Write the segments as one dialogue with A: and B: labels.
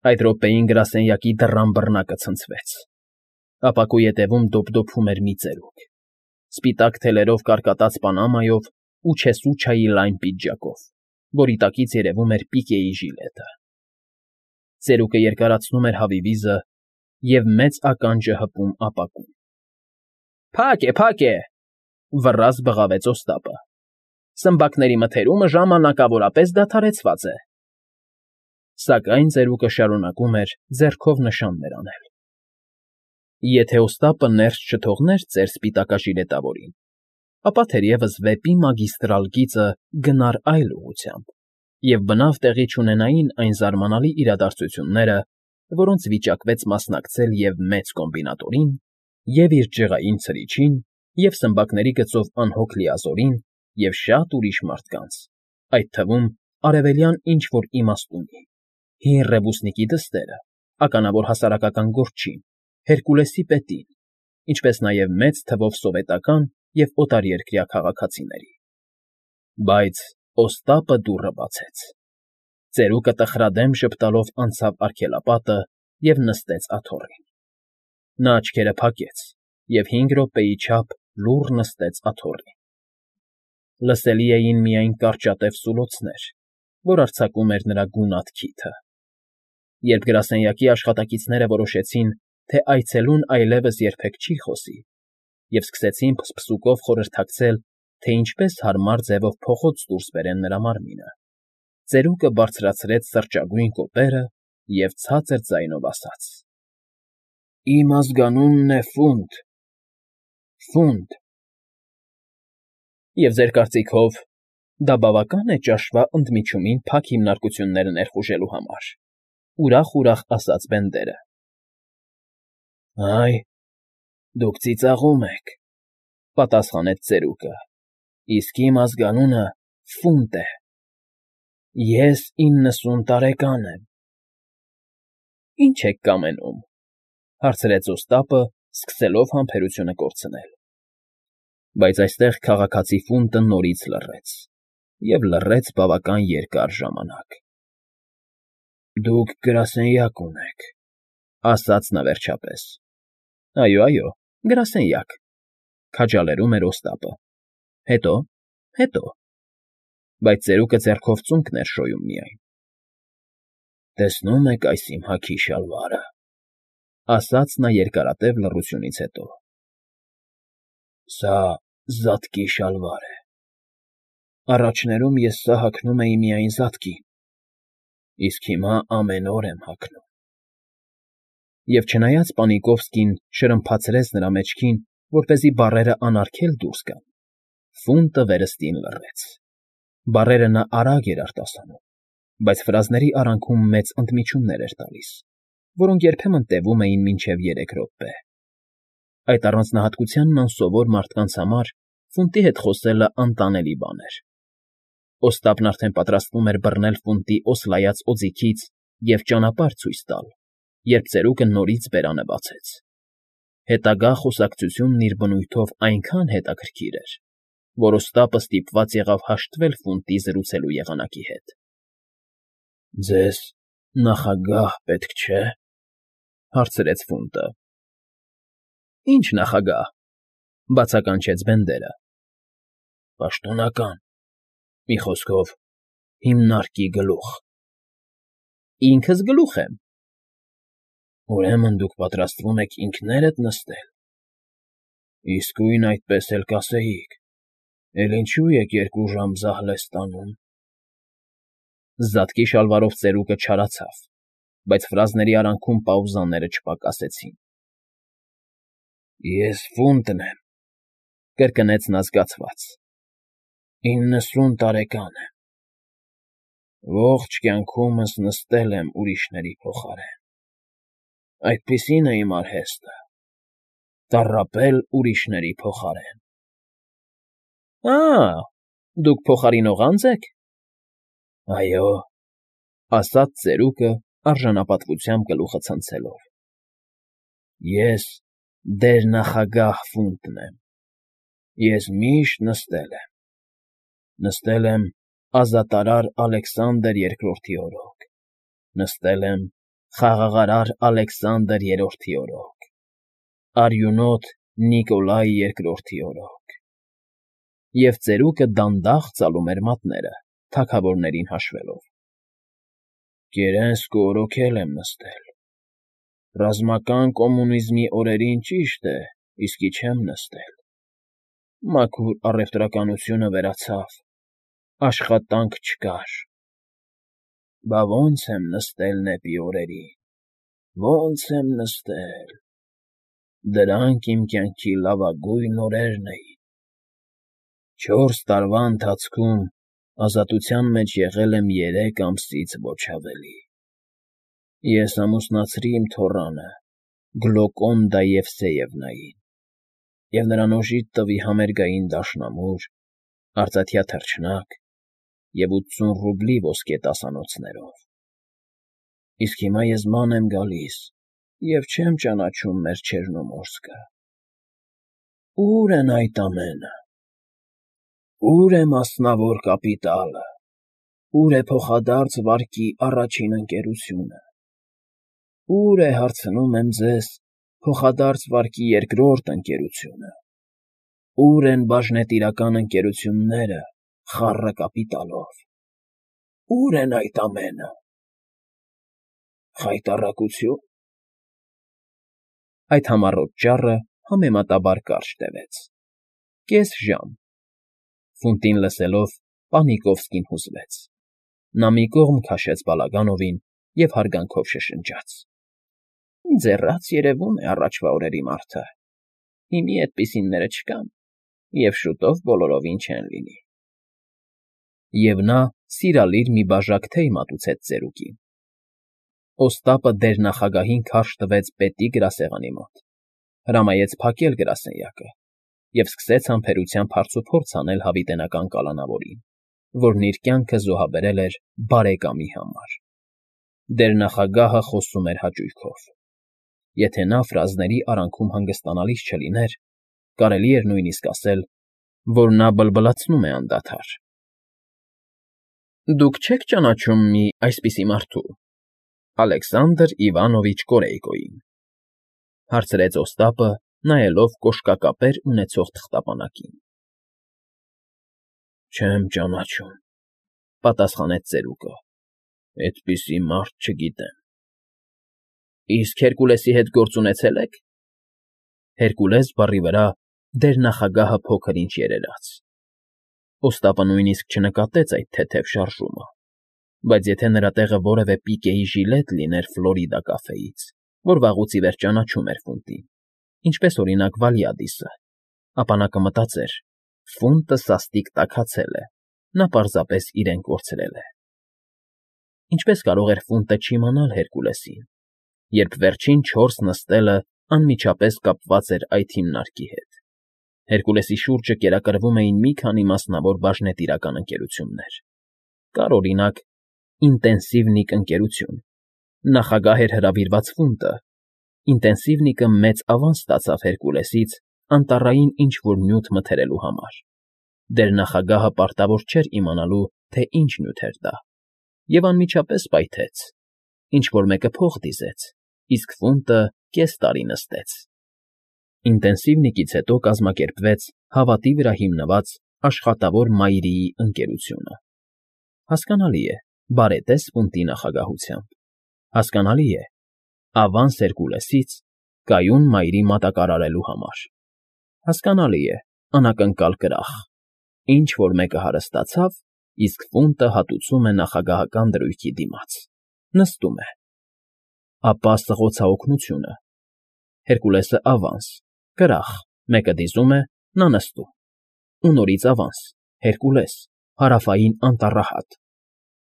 A: Այդ րոպեին գրասենյակի դռան բռնակը ցնցվեց։ Ապակու ետևում դոփդոփում էր մի ծերուկ, սպիտակ թելերով կարկատած պանամայով ու չեսուչայի լայն պիջակով, որի տակից երևում էր պիկեի ժիլետը։ Ծերուկը երկարացնում էր հավի վիզը և մեծ ականջը հպում ապակուն։ ֊ Փակ է,֊ վռազդը բղավեց Օստապը։ Սմբակների մթերումը ժամանակավորապես դադարեցված է։ Սակայն ծերուկը շարունակում էր ձեռքով նշաններ անել։ Եթե Օստապը ներս չթողներ ծեր սպիտակաժիրետավորին, ապա թերևս վեպի մագիստրալ գիծը գնար այլ ուղղությամբ, և բնավ տեղի չունենային այն զարմանալի իրադարձությունները, որոնց վիճակվեց մասնակցել և մեծ կոմբինատորին, և իր ջղային ցրիչին, և սմբակների գծով անհոգ Լիազորին, և շատ ուրիշ մարդկանց, այդ թվում արևելյան ինչ֊որ իմաստունի, հին ռևուսնիկի դստերը, ականավոր հասարակական գործչին, Հերկուլեսի պետին, ինչպես նաև մեծ թվով սովետական և օտարերկրյա քաղաքացիների։ Բայց Օստապը դուռը բացեց։ Ծերուկը տխրադեմ ժպտալով անցավ արգելապատը և նստեց աթոռին։ Նա աչքերը փակեց և 5 րոպեի չափ լուռ նստեց աթոռին։ Լսելի էին միայն կարճատև սուլոցներ, որ արձակում էր նրա գունատ քիթը։ Երբ գրասենյակի աշխատակիցները որոշեցին, թե այցելուն այլևս երբեք չի խոսի, և սկսեցին փսփսուկով խորհրդակցել, թե ինչպես հարմար ձևով փողոց դուրս բերեն նրա մարմինը, ծերուկը բարձրացրեց սրճագույն կոպերը և ցածր ձայնով ասաց. «Իմ ազգանունն է Ֆունտ, Ֆունտ»։ ֊ Եվ ձեր կարծիքով դա բավական է ճաշվա ընդմիջումին փակ հիմնարկությունները ներխուժելու համար,֊ ուրախ ասաց Բենդերը։ ֊ Այ, դուք ծիծաղում եք,֊ պատասխանեց ծերուկը,֊ իսկ իմ ազգանունը Ֆունտ է։ Ես 90 տարեկան եմ։ ֊ Ի՞նչ եք կամենում,֊ հարցրեց Օստապը, սկսելով համբերությունը կորցնել։ Բայց այստեղ քաղաքացի Ֆունտը նորից լռեց, և լռեց բավական երկար ժամանակ։ ֊ Դուք գրասենյակ ունեք,֊ ասաց նա վերջապես։ ֊ Այո, գրասենյակ,֊ քաջալերում էր Օստապը։ ֊ Հետո,… Բայց ծերուկը ձեռքով ծունկ ներշոյում միայն։ ֊ Տեսնո՞ւմ եք այս իմ հագի շալվարը,֊ ասաց նա երկարատև լռությունից հետո։ ֊ Սա զատկի շալվար է։ Առաջներում ես սա հագնում էի միայն զատկին, իսկ հիմա ամեն օր եմ հագնում։ Եվ չնայած Պանիկովսկին շրմփացրեց նրա մեջքին, որպեսզի բառերը անարգել դուրս գան, Ֆունտը վերստին լռեց։ Բառերը նա արագ էր արտասանում, բայց ֆրազների արանքում մեծ ընդմիջումներ էր տալիս, որոնք երբեմն տևում էին մինչև 3 րոպե։ Այդ առանձնահատկությանն անսովոր մարդկանց համար Ֆունտի հետ խոսելը անտանելի բան էր։ Օստապն արդեն պատրաստվում էր բռնել Ֆունտի օսլայած օձիքից և ճանապարհ ցույց տալ, երբ ծերուկը նորից բերանը բացեց։ Հետագա խոսակցությունն իր բնույթով այնքան հետաքրքիր էր, որ Օստապը ստիպված եղավ հաշտվել Ֆունտի զրուցելու եղանակի հետ։ ֊ Ձեզ նախագահ պետք չէ,֊ հարցրեց Ֆունտը։ ֊ Ի՞նչ նախագահ,֊ բացականչեց Բենդերը։ ֊ Պաշտոնական, մի խոսքով, հիմնարկի գլուխ։ ֊ Ինքս գլուխ եմ։ ֊ Ուրեմն դուք պատրաստվում եք ինքներդ նստել։ ֊ Իսկույն այդպես էլ կասեիք, էլ ինչո՞ւ եք 2 ժամ զահլես տանում։ Զատկի շալվարով ծերուկը չարացավ, բայց ֆրազների արանքում պաուզաները չպակասեցին։ ֊ Ես Ֆունտն եմ,֊ կրկնեց նա զգացված,֊ 90 տարեկան եմ։ Ողջ կյանքումս նստել եմ ուրիշների փոխարեն։ Այդպիսին է իմ արհեստը՝ տառապել ուրիշների փոխարեն։ ֊ Դուք փոխարինող անձ եք։ ֊ Այո,֊ ասաց ծերուկը արժանապատվությամբ գլուխը ցնցելով,֊ ես դերնախագահ Ֆունտն եմ։ Ես միշտ նստել եմ։ Նստել եմ ազատարար Ալեքսանդր II֊ի օրոք, նստել եմ Խաղաղարար Ալեքսանդր III օրոք, արյունոտ Նիկոլայ II օրոք։ Եվ ծերուկը դանդաղ ծալում էր մատները, թագավորներին հաշվելով։ Կերենսկը օրոքել եմ նստել։ Ռազմական կոմունիզմի օրերին ճիշտ է, իսկի չեմ նստել։ Մաքուր առևտրականությունը վերացավ, աշխատանք չկար։ Բա ոնց եմ նստել նեպի օրերին, ոնց եմ նստել։ Դրանք իմ կյանքի լավագույն օրերն էին։ 4 տարվա ընթացքում ազատության մեջ եղել եմ 3 ամսից ոչ ավելի։ Ես ամուսնացրի իմ թոռանը Գլոկոնդա Եվսեևնային և նրան օժիտ տվի համերգային դաշնամուր, արծաթյա թռչնակ և 80 ռուբլի ոսկե տասանոցներով։ Իսկ հիմա ես ման եմ գալիս և չեմ ճանաչում մեր Չեռնոմորսկը։ Ո՞ւր են այդ ամենը։ Ո՞ւր է մասնավոր կապիտալը, ո՞ւր է փոխադարձ վարկի առաջին ընկերությունը։ Ո՞ւր է, հարցնում եմ ձեզ, փոխադարձ վարկի երկրորդ ընկերությունը։ Ո՞ւր են բաժնետիրական ընկերությունները խառը կապիտալով։ Ո՞ւր են այդ ամենը։ Խայտառակությո՞ւն։ Այդ համառոտ ճառը համեմատաբար կարճ տևեց։ Կես ժամ։ Ֆունտին լսելով՝ Պանիկովսկին հուզվեց։ Նա մի կողմ քաշեց Բալագանովին և հարգանքով շշնջաց. Ձեռաց երևում է առաջվա օրերի մարդը։ Հիմի էդպիսինները չկան և շուտով բոլորովին չեն լինի։ Եվ նա սիրալիր մի բաժակ թեյ մատուցեց ծերուկին։ Օստապը դերնախագահին քարշ տվեց պետի գրասեղանի մոտ, հրամայեց փակել գրասենյակը և սկսեց համբերությամբ հարցուփորձ անել հավիտենական կալանավորին, որն իր կյանքը զոհաբերել էր բարեկամի համար։ Դերնախագահը խոսում էր հաճույքով։ Եթե նա ֆրազների արանքում հանգստանալիս չլիներ, կարելի էր նույնիսկ ասել, որ նա բլբլացնում է անդադար։ Դուք չե՞ք ճանաչում մի այսպիսի մարդու, Ալեքսանդր Իվանովիչ Կորեյկոյին,֊ հարցրեց Օստապը, նայելով կոշկակապեր ունեցող թղթապանակին։ Չեմ ճանաչում,֊ պատասխանեց ծերուկը։ Էդպիսի մարդ չգիտեմ։ Իսկ Հերկուլեսի հետ գործ ունեցե՞լ եք։ Հերկուլես բառի վրա դերնախագահը փոքր֊ինչ երերաց։ Օստապը նույնիսկ չնկատեց այդ թեթև շարժումը, բայց եթե նրա տեղը որևէ պիկեի ժիլետ լիներ Ֆլորիդա կաֆեից, որ վաղուց ի վեր ճանաչում էր Ֆունտին, ինչպես, օրինակ, Վալյադիսը, ապա նա կմտածեր. Ֆունտը սաստիկ տաքացել է, նա պարզապես իրեն կորցրել է։ Ինչպես կարող էր Ֆունտը չիմանալ Հերկուլեսին, երբ վերջին 4 նստելը անմիջապես կապված էր այդ հիմնարկի հետ։ Հերկուլեսի շուրջը կերակրվում էին մի քանի մասնավոր բաժնետիրական ընկերություններ։ Կար, օրինակ, Ինտենսիվնիկ ընկերություն։ Նախագահ էր հրավիրված Ֆունտը։ Ինտենսիվնիկը մեծ ավանս ստացավ Հերկուլեսից անտառային ինչ֊որ նյութ մթերելու համար։ Դերնախագահը պարտավոր չէր իմանալու, թե ինչ նյութ էր դա, և անմիջապես պայթեց։ Ինչ֊որ մեկը փող դիզեց, իսկ Ֆունտը կես տարի նստեց։ Ինտենսիվնիկից հետո կազմակերպվեց հավատի վրա հիմնված աշխատավոր մայրիի ընկերությունը։ Հասկանալի է, բարետես Ֆունտի նախագահությամբ։ Հասկանալի է, ավանս Հերկուլեսից կայուն մայրի մատակարարելու համար։ Հասկանալի է, անակնկալ կրախ։ Ինչ֊որ մեկը հարստացավ, իսկ Ֆունտը հատուցում է նախագահական դրույքի դիմաց։ Նստում է։ Ապա սղոցաօգնությունը։ Հերկուլեսը ավանս, կրախ, մեկը դիզում է, նա նստում։ Ու նորից ավանս, Հերկուլես, Հարավային Անտառահատ,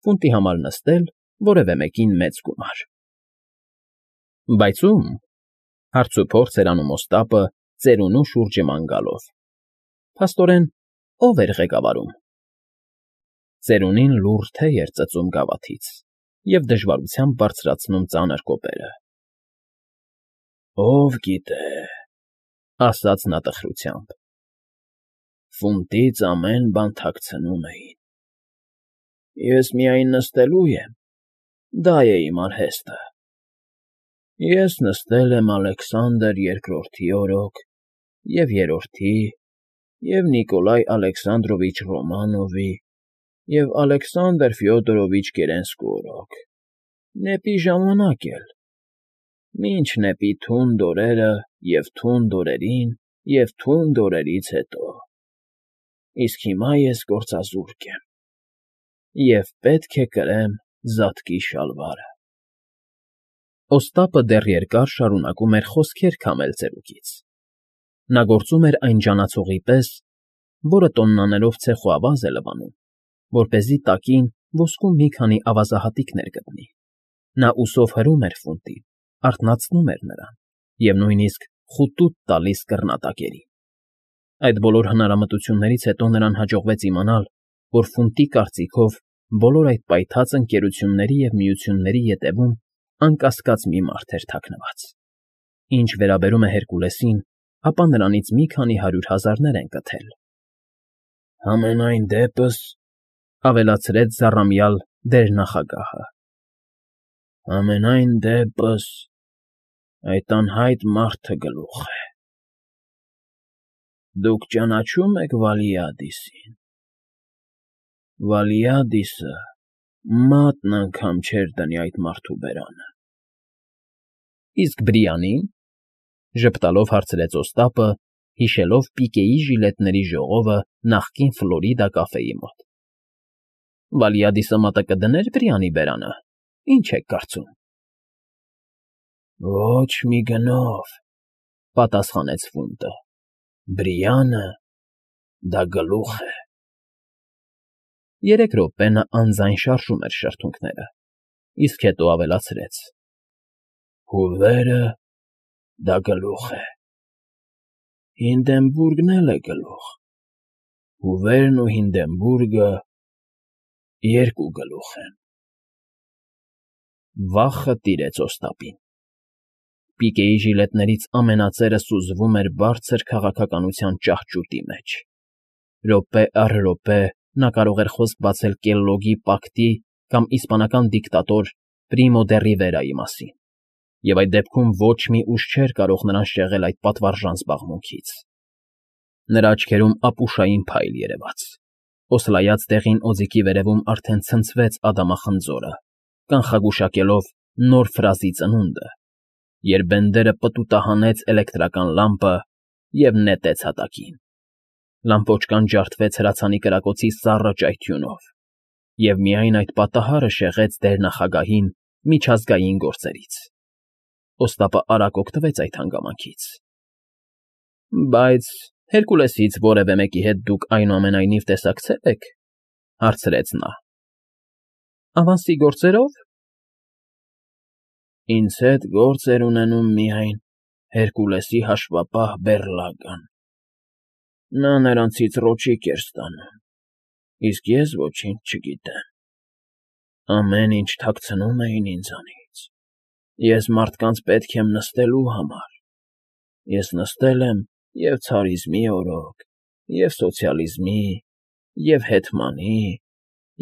A: Ֆունտի համար նստել, որևէ մեկին մեծ գումար։ Բայց ո՞ւմ,֊ հարցուփորձ էր անում Օստապը, ծերունու շուրջը ման գալով։ Փաստորեն, ո՞վ էր ղեկավարում։ Ծերունին լուռ թեյ էր ծծում գավաթից և դժվարությամբ բարձրացնում ծանր կոպերը։ Ով գիտե,֊ ասաց նա տխրությամբ։ Ֆունտից ամեն բան թաքցնում էին։ Ես միայն նստելու եմ, դա է իմ արհեստը։ Ես նստել եմ Ալեքսանդր II օրոք, և երրորդի, և Նիկոլայ Ալեքսանդրովիչ Ռոմանովի, և Ալեքսանդր Ֆյոդորովիչ Կերենսկու օրոք, նեպի ժամանակ էլ, մինչ նեպի թունդ օրերը և թունդ օրերին և թունդ օրերից հետո, իսկ հիմա ես գործազուրկ եմ և պետք է կրեմ զատկի շալվարը… Օստապը դեռ երկար շարունակում էր խոսքեր քամել ծերուկից. նա գործում էր այն ջանացողի պես, որը տոննաներով ցեխոավազ է լվանում, որպեսզի տակին ոսկու մի քանի ավազահատիկներ գտնի. նա ուսով հրում էր ֆունտին, արթնացնում էր նրան և նույնիսկ խուտուտ տալիս կռնատակերին. այդ բոլոր հնարամտություններից հետո նրան հաջողվեց իմանալ, որ ֆունտի կարծիքով բոլոր այդ պայթած ընկերությունների և միությունների ետևում անկասկած մի մարդ էր թաքնված. ինչ վերաբերում է Հերկուլեսին, ապա նրանից մի քանի 100,000-ներ են կթել։ Համենայն դեպս, ավելացրեց զառամյալ դերնախագահը, համենայն դեպս, այդ անհայտ մարդը գլուխ է… Դուք ճանաչո՞ւմ եք Վալիադիսին… Վալիադիսը մատն անգամ չէր դնի այդ մարդու բերանը… ֊ Իսկ Բրիանի՞ն,֊ ժպտալով հարցրեց Օստապը, հիշելով պիկեի ժիլետների ժողովը նախկին Ֆլորիդա կաֆեի մոտ։ ֊ Վալիադիսը մատը կդնե՞ր Բրիանի բերանը, ինչ եք կարծում։ ֊ Ոչ մի գնով,֊ պատասխանեց Ֆունտը,֊ Բրիանը դա գլուխ է… 3 րոպե նա անձայն շարժում էր շրթունքները, իսկ հետո ավելացրեց. Հուվերը դա գլուխ է… Հինդենբուրգն էլ է գլուխ… Հուվերն ու Հինդենբուրգը երկու գլուխ են… Վախը տիրեց Օստապին. պիկեի ժիլետներից ամենածերը սուզվում էր բարձր քաղաքականության ճահճուտի մեջ… Րոպե առ րոպե նա կարող էր խոսք բացել Կելլոգի պակտի կամ իսպանական դիկտատոր Պրիմո դե Ռիվերայի մասին, և այդ դեպքում ոչ մի ուժ չէր կարող նրան շեղել այդ պատվարժան զբաղմունքից… Նրա աչքերում ապուշային փայլ երևաց, օսլայած դեղին օձիքի վերևում արդեն ցնցվեց ադամախնձորը, կանխագուշակելով նոր ֆրազի ծնունդը, երբ Բենդերը պտուտահանեց էլեկտրական լամպը և նետեց հատակին… Լամպոճկան ջարդվեց հրացանի կրակոցի սառը ճայթյունով, և միայն այդ պատահարը շեղեց դերնախագահին միջազգային գործերից… Օստապը արագ օգտվեց այդ հանգամանքից։ ֊ Բայց Հերկուլեսից որևէ մեկի հետ դուք այնուամենայնիվ տեսակցել եք,֊ հարցրեց նա։ ֊ Ավանսի գործերով։ ֊ Ինձ հետ գործ էր ունենում միայն Հերկուլեսի հաշվապահ Բեռլագան. նա նրանցից ռոճիկ էր ստանում, իսկ ես ոչինչ չգիտեմ… Ամեն ինչ թաքցնում էին ինձանից… Ես մարդկանց պետք եմ նստելու համար… Ես նստել եմ և ցարիզմի օրոք, և սոցիալիզմի, և հեթմանի,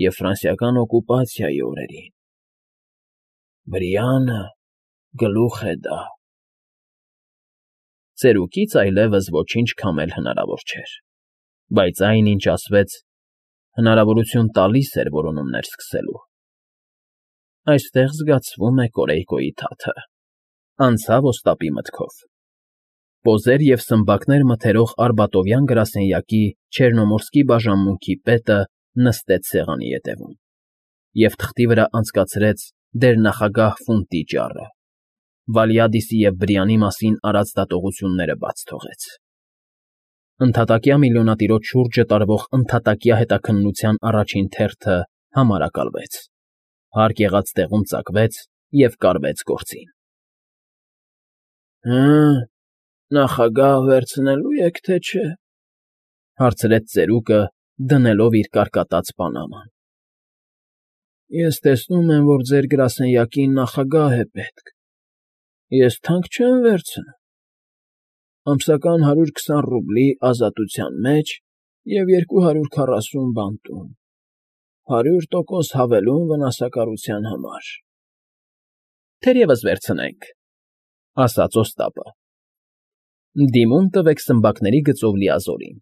A: և ֆրանսիական օկուպացիայի օրերին… Բրիանը գլուխ է դա… Ծերուկից այլևս ոչինչ քամել հնարավոր չէր, բայց այն, ինչ ասվեց, հնարավորություն տալիս էր որոնումներ սկսելու… Այստեղ զգացվում է Կորեյկոյի թաթը, անցավ Օստապի մտքով… Պոզեր և սմբակներ մթերող արբատովյան գրասենյակի Չեռնոմորսկի բաժանմունքի պետը նստեց սեղանի ետևում և թղթի վրա անցկացրեց դերնախագահ Ֆունտի ճառը, Վալիադիսի և Բրիանի մասին արած դատողությունները բաց թողեց… Ընդհատակյա միլիոնատիրոջ շուրջը տարվող ընդհատակյա հետաքննության առաջին թերթը համարակալվեց, հարկ եղած տեղում ծակվեց և կարվեց գործին… Հը՞, նախագահ վերցնելու եք, թե չէ,֊ հարցրեց ծերուկը, դնելով իր կարկատած պանաման։ ֊ Ես տեսնում եմ, որ ձեր գրասենյակին նախագահ է պետք… Ես թանկ չեմ վերցնում… Ամսական 120 ռուբլի ազատության մեջ և 240 բանտում, 100% հավելում վնասակարության համար… ֊ Թերևս վերցնենք,֊ Ասաց Օստապը։֊ Դիմում տվեք սմբակների գծով լիազորին։